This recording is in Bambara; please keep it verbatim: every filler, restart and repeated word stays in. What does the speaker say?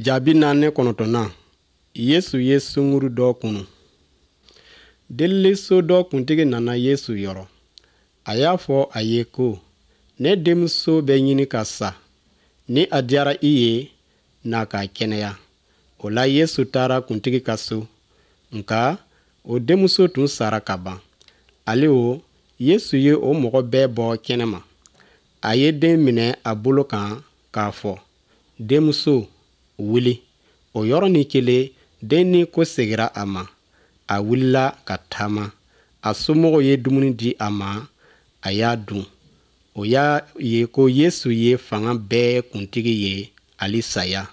Jaabi naani kɔnɔntɔnnan, Yesu ye sunguru dɔ kunu. Deliliso dɔ kuntigi nana Yesu yɔrɔ. A y'a fɔ a ye ko, ne denmuso bɛ ɲini ka sa. Ni a diyara i ye, na k'a kɛnɛya. O la Yesu taara kuntigi ka so. Nka o denmuso tun sara ka ban. Ale o, Yesu ye o mɔgɔ bɛɛ bɔ kɛnɛma. A ye den minɛ a bolo kan k'a fɔ, denmuso, wuli. O yɔrɔnin kelen, den ni ko segira a ma. A wulila ka taama. A somɔgɔw ye dumuni di a ma, a y'a dun. O y'a ye ko Yesu ye fanga bɛɛ kuntigi ye, hali saya.